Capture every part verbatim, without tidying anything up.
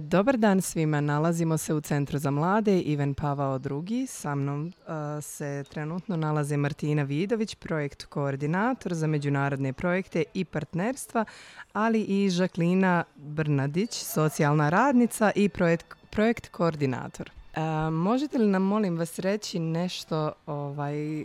Dobar dan svima, nalazimo se u Centru za mlade Ivan Pavao drugi. Sa mnom uh, se trenutno nalaze Martina Vidović, projekt koordinator za međunarodne projekte i partnerstva, ali i Žaklina Brnadić, socijalna radnica i projekt, projekt koordinator. Uh, možete li nam, molim vas, reći nešto ovaj,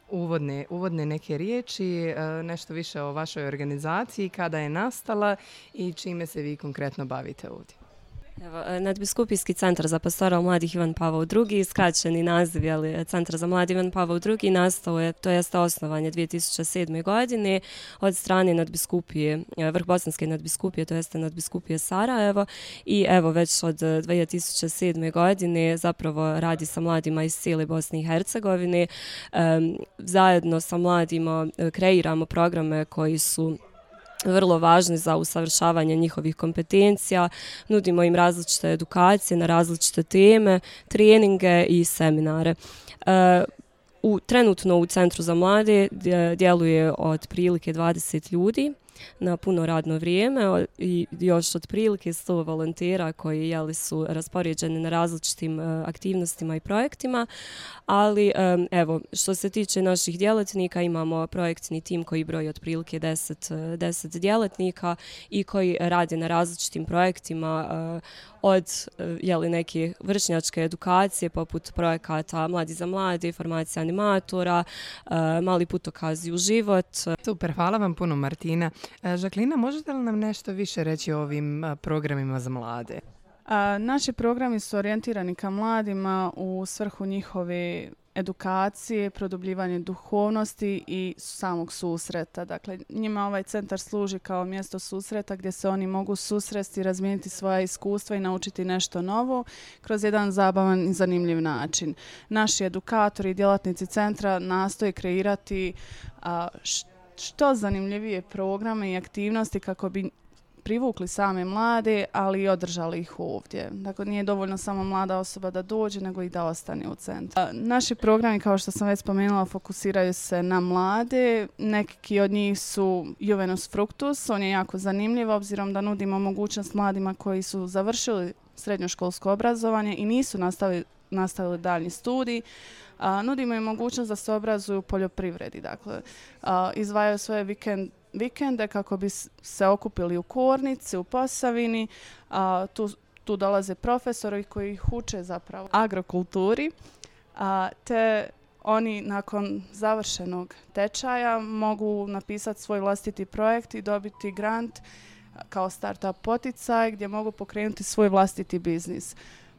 uvodne, uvodne neke riječi, uh, nešto više o vašoj organizaciji, kada je nastala i čime se vi konkretno bavite ovdje? Evo, Nadbiskupijski centar za pastoral mladih Ivan Pavao drugi, skraćeni naziv, ali Centar za mladi Ivan Pavao drugi, nastao je, to jeste osnovanje dvije tisuće sedme. godine od strane nadbiskupije, Vrhbosanske nadbiskupije, to jeste nadbiskupije Sarajevo, i evo već od dvije tisuće sedme. godine zapravo radi sa mladima iz cijele Bosne i Hercegovine. Um, zajedno sa mladima kreiramo programe koji su vrlo važni za usavršavanje njihovih kompetencija, nudimo im različite edukacije na različite teme, treninge i seminare. E, u, trenutno u Centru za mlade djeluje otprilike dvadeset ljudi na puno radno vrijeme i još otprilike sto volontera koji jeli, su raspoređeni na različitim uh, aktivnostima i projektima, ali um, evo, što se tiče naših djelatnika, imamo projektni tim koji broji otprilike deset, deset djelatnika i koji rade na različitim projektima uh, od jeli, neke vršnjačke edukacije poput projekata Mladi za mlade, formacija animatora, uh, mali putokazi u život. Super, hvala vam puno, Martina. Žaklina, možete li nam nešto više reći o ovim programima za mlade? A, naši programi su orijentirani ka mladima u svrhu njihove edukacije, produbljivanje duhovnosti i samog susreta. Dakle, njima ovaj centar služi kao mjesto susreta gdje se oni mogu susresti, razmijeniti svoja iskustva i naučiti nešto novo kroz jedan zabavan i zanimljiv način. Naši edukatori i djelatnici centra nastoje kreirati a, što zanimljivije programe i aktivnosti kako bi privukli same mlade, ali i održali ih ovdje. Dakle, nije dovoljno samo mlada osoba da dođe, nego i da ostane u centru. Naši programi, kao što sam već spomenula, fokusiraju se na mlade. Neki od njih su Juvenus Fructus, on je jako zanimljiv, obzirom da nudimo mogućnost mladima koji su završili srednjoškolsko obrazovanje i nisu nastavili, nastavili daljnji studij. A, nudimo im mogućnost da se obrazuju u poljoprivredi. Dakle, a, izdvajaju svoje vikend, vikende kako bi se okupili u Kornici, u Posavini. A, tu, tu dolaze profesori koji ih uče zapravo agrokulturi, a, te oni nakon završenog tečaja mogu napisati svoj vlastiti projekt i dobiti grant kao startup poticaj gdje mogu pokrenuti svoj vlastiti biznis.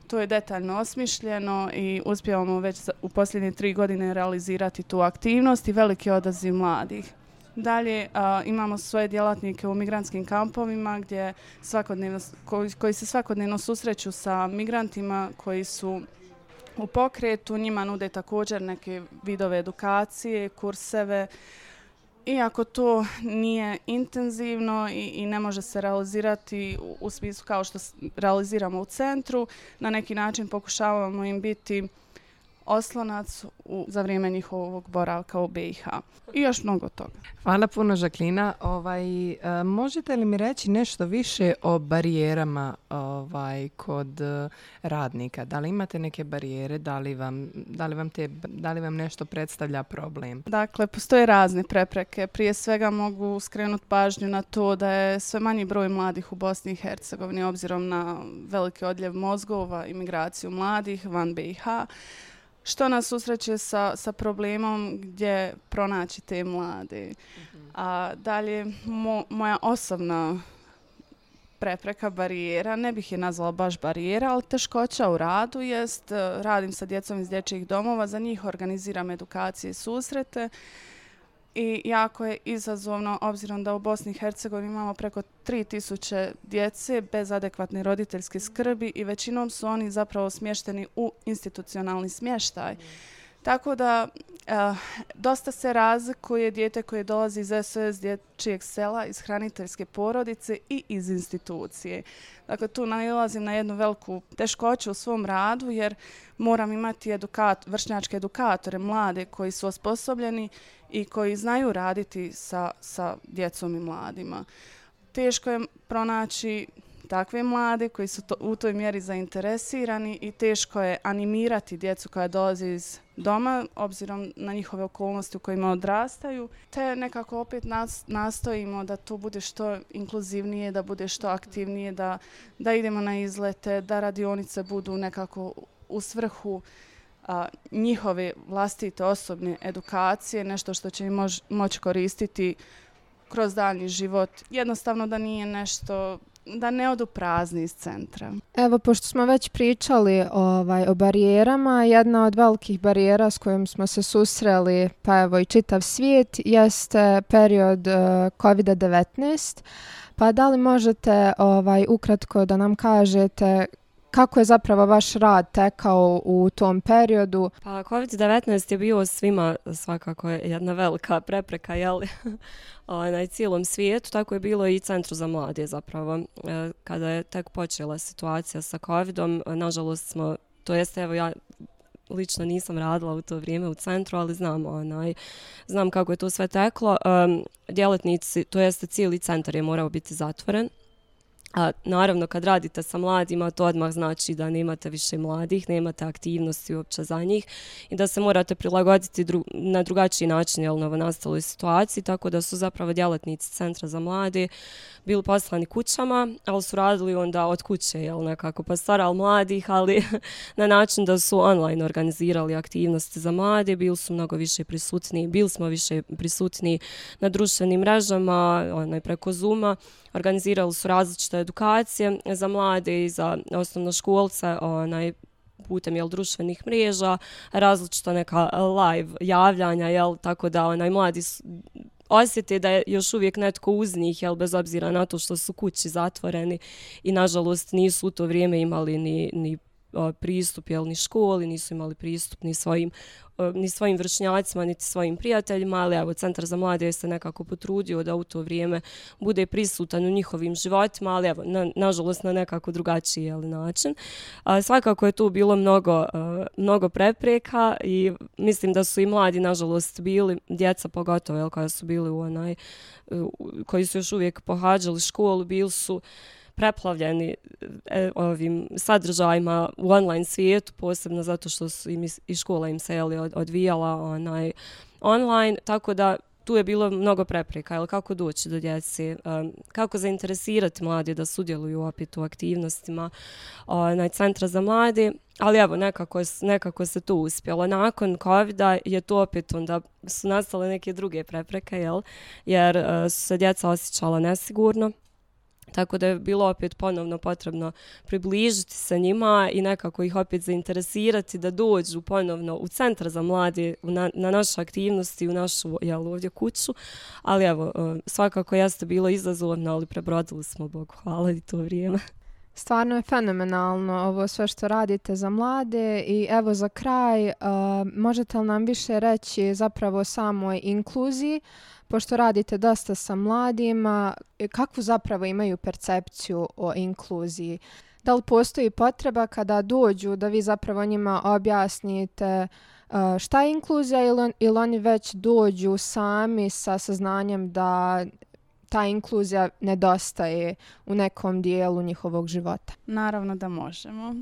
To je detaljno osmišljeno i uspijevamo već u posljednje tri godine realizirati tu aktivnost i veliki odaziv mladih. Dalje a, imamo svoje djelatnike u migrantskim kampovima gdje svakodnevno, koji, koji se svakodnevno susreću sa migrantima koji su u pokretu. Njima nude također neke vidove edukacije, kurseve. Iako to nije intenzivno i, i ne može se realizirati u, u smislu kao što realiziramo u centru, na neki način pokušavamo im biti oslonac u, za vrijeme njihovog boravka u B i H. I još mnogo toga. Hvala puno, Žaklina. Ovaj, uh, možete li mi reći nešto više o barijerama ovaj, kod uh, radnika? Da li imate neke barijere? Da li vam, da li vam, te, da li vam nešto predstavlja problem? Dakle, postoje razne prepreke. Prije svega mogu skrenuti pažnju na to da je sve manji broj mladih u Bosni i Hercegovini obzirom na veliki odljev mozgova i migraciju mladih van B i H. Što nas susreće sa, sa problemom gdje pronaći te mlade. Mm-hmm. A dalje, mo, moja osobna prepreka, barijera, ne bih je nazvala baš barijera, ali teškoća u radu jest, radim sa djecom iz dječjih domova, za njih organiziram edukacije i susrete. I jako je izazovno, obzirom da u Bosni i Hercegovini imamo preko tri tisuće djece bez adekvatne roditeljske skrbi i većinom su oni zapravo smješteni u institucionalni smještaj. Mm. Tako da uh, dosta se razlikuje dijete koje dolazi iz S O S dječjeg sela, iz hraniteljske porodice i iz institucije. Dakle, tu nailazim na jednu veliku teškoću u svom radu jer moram imati edukat, vršnjačke edukatore, mlade koji su osposobljeni i koji znaju raditi sa, sa djecom i mladima. Teško je pronaći takve mlade koji su to, u toj mjeri zainteresirani i teško je animirati djecu koja dolaze iz doma, obzirom na njihove okolnosti u kojima odrastaju, te nekako opet nas, nastojimo da to bude što inkluzivnije, da bude što aktivnije, da, da idemo na izlete, da radionice budu nekako u svrhu a, njihove vlastite osobne edukacije, nešto što će im mož, moći koristiti kroz daljnji život. Jednostavno da nije nešto, da ne odu prazni iz centra. Evo, pošto smo već pričali ovaj, o barijerama, jedna od velikih barijera s kojom smo se susreli, pa evo i čitav svijet, jeste period uh, kovid devetnaest. Pa da li možete ovaj, ukratko da nam kažete kako je zapravo vaš rad tekao u tom periodu? Pa kovid devetnaest je bio svima svakako jedna velika prepreka, jel? Na cijelom svijetu, tako je bilo i Centru za mlade zapravo. Kada je tek počela situacija sa covidom, nažalost smo, to jeste evo ja lično nisam radila u to vrijeme u centru, ali znam, onaj, znam kako je to sve teklo. Um, djelatnici, to jeste cijeli centar je morao biti zatvoren. A naravno kad radite sa mladima to odmah znači da nemate više mladih, nemate aktivnosti uopće za njih i da se morate prilagoditi dru- na drugačiji način jel, novonastaloj situaciji, tako da su zapravo djelatnici Centra za mlade bili poslani kućama, ali su radili onda od kuće, jel, nekako pastoral mladih, ali na način da su online organizirali aktivnosti za mlade, bili su mnogo više prisutni, bili smo više prisutni na društvenim mrežama, onaj, preko Zooma, organizirali su različite edukacije za mlade i za osnovnoškolce, onaj, putem jel, društvenih mreža, različita neka live javljanja, jel, tako da onaj, mladi su, osjete da je još uvijek netko uz njih, jel, bez obzira na to što su kući zatvoreni i nažalost nisu u to vrijeme imali ni, ni o, pristup jel, ni školi, nisu imali pristup ni svojim, o, ni svojim vršnjacima, niti svojim prijateljima, ali evo, Centar za mlade je se nekako potrudio da u to vrijeme bude prisutan u njihovim životima, ali evo, na, nažalost na nekako drugačiji jel, način. A, svakako je tu bilo mnogo, a, mnogo prepreka i mislim da su i mladi nažalost bili, djeca pogotovo jel, koja su bili u onaj, u, koji su još uvijek pohađali školu, bili su preplavljeni e, ovim sadržajima u online svijetu, posebno zato što su im i škola im se jeli, od, odvijala onaj, online, tako da tu je bilo mnogo prepreka, jel, kako doći do djece, um, kako zainteresirati mlade da sudjeluju opet u aktivnostima onaj, Centra za mlade, ali evo, nekako, nekako se to uspjelo. Nakon covida je to opet onda su nastale neke druge prepreke, jel, jer uh, su se djeca osjećala nesigurno. Tako da je bilo opet ponovno potrebno približiti se njima i nekako ih opet zainteresirati da dođu ponovno u Centar za mlade, na, na naše aktivnosti, u našu jel, ovdje kuću. Ali evo, svakako jeste bilo izazovno, ali prebrodili smo, Bogu hvala, i to vrijeme. Stvarno je fenomenalno ovo sve što radite za mlade i evo za kraj, uh, možete li nam više reći zapravo o samoj inkluziji, pošto radite dosta sa mladima, kakvu zapravo imaju percepciju o inkluziji? Da li postoji potreba kada dođu da vi zapravo njima objasnite uh, šta je inkluzija ili, on, ili oni već dođu sami sa saznanjem da ta inkluzija nedostaje u nekom dijelu njihovog života? Naravno da možemo.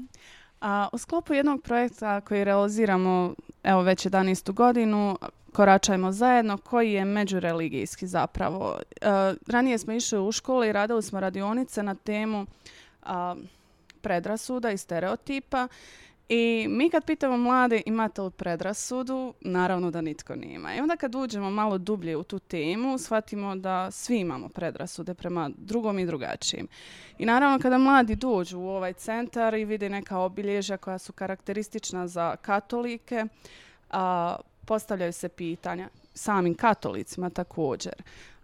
A, u sklopu jednog projekta koji realiziramo evo već jedanaestu godinu, Koračajmo zajedno, koji je međureligijski zapravo. E, ranije smo išli u škole i radili smo radionice na temu a, predrasuda i stereotipa. I mi kad pitamo mlade imate li predrasudu, naravno da nitko nema. I onda kad uđemo malo dublje u tu temu, shvatimo da svi imamo predrasude prema drugom i drugačijim. I naravno kada mladi dođu u ovaj centar i vide neka obilježja koja su karakteristična za katolike, a, postavljaju se pitanja samim katolicima također.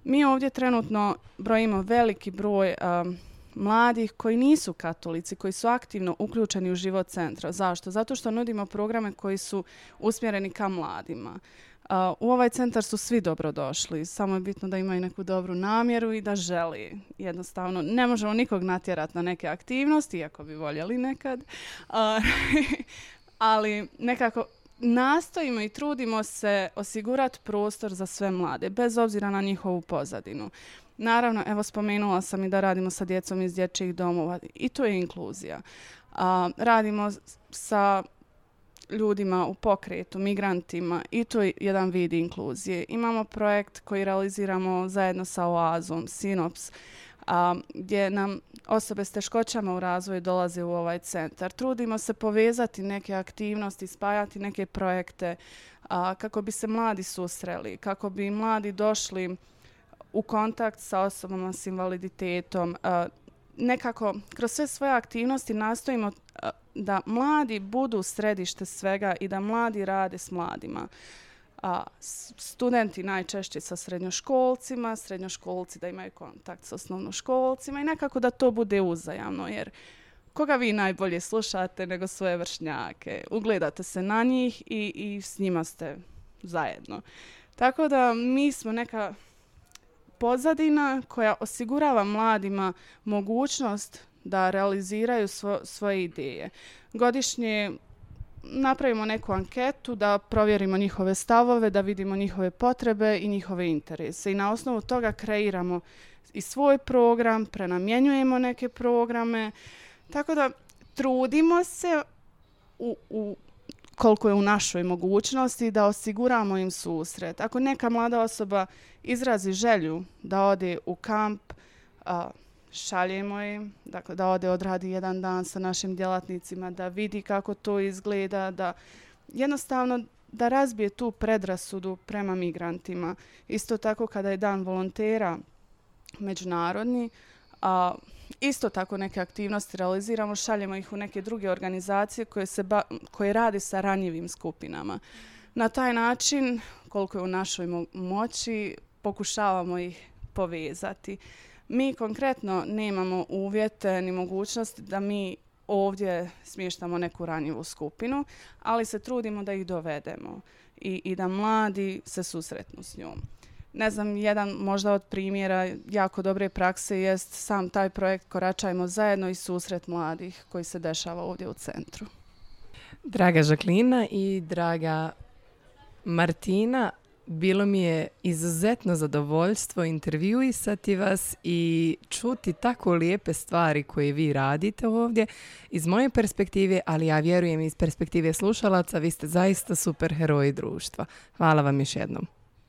Mi ovdje trenutno brojimo veliki broj um, mladih koji nisu katolici, koji su aktivno uključeni u život centra. Zašto? Zato što nudimo programe koji su usmjereni ka mladima. Uh, u ovaj centar su svi dobrodošli, samo je bitno da imaju neku dobru namjeru i da želi. Jednostavno, ne možemo nikog natjerati na neke aktivnosti, iako bi voljeli nekad, uh, ali nekako nastojimo i trudimo se osigurati prostor za sve mlade, bez obzira na njihovu pozadinu. Naravno, evo spomenula sam i da radimo sa djecom iz dječjih domova i to je inkluzija. A, radimo sa ljudima u pokretu, migrantima i to je jedan vid inkluzije. Imamo projekt koji realiziramo zajedno sa Oazom, Sinops, a, gdje nam osobe s teškoćama u razvoju dolaze u ovaj centar. Trudimo se povezati neke aktivnosti, spajati neke projekte a, kako bi se mladi susreli, kako bi mladi došli u kontakt sa osobama s invaliditetom. A, nekako kroz sve svoje aktivnosti nastojimo a, da mladi budu središte svega i da mladi rade s mladima. A, studenti najčešće sa srednjoškolcima, srednjoškolci da imaju kontakt s osnovnoškolcima i nekako da to bude uzajamno, jer koga vi najbolje slušate nego svoje vršnjake? Ugledate se na njih i, i s njima ste zajedno. Tako da mi smo neka pozadina koja osigurava mladima mogućnost da realiziraju svo, svoje ideje. Godišnje napravimo neku anketu da provjerimo njihove stavove, da vidimo njihove potrebe i njihove interese. I na osnovu toga kreiramo i svoj program, prenamjenjujemo neke programe. Tako da trudimo se u, u koliko je u našoj mogućnosti da osiguramo im susret. Ako neka mlada osoba izrazi želju da ode u kamp, a, šaljemo im, dakle da ode odradi jedan dan sa našim djelatnicima, da vidi kako to izgleda, da jednostavno da razbije tu predrasudu prema migrantima. Isto tako kada je dan volontera međunarodni, a isto tako neke aktivnosti realiziramo, šaljemo ih u neke druge organizacije koje, se ba, koje rade sa ranjivim skupinama. Na taj način, koliko je u našoj mo- moći, pokušavamo ih povezati. Mi konkretno nemamo uvjete ni mogućnosti da mi ovdje smještamo neku ranjivu skupinu, ali se trudimo da ih dovedemo i, i da mladi se susretnu s njom. Ne znam, jedan možda od primjera jako dobre prakse jest sam taj projekt Koračajmo zajedno i susret mladih koji se dešava ovdje u centru. Draga Žaklina i draga Martina, bilo mi je izuzetno zadovoljstvo intervjuisati vas i čuti tako lijepe stvari koje vi radite ovdje. Iz moje perspektive, ali ja vjerujem iz perspektive slušalaca, vi ste zaista super heroji društva. Hvala vam još jednom.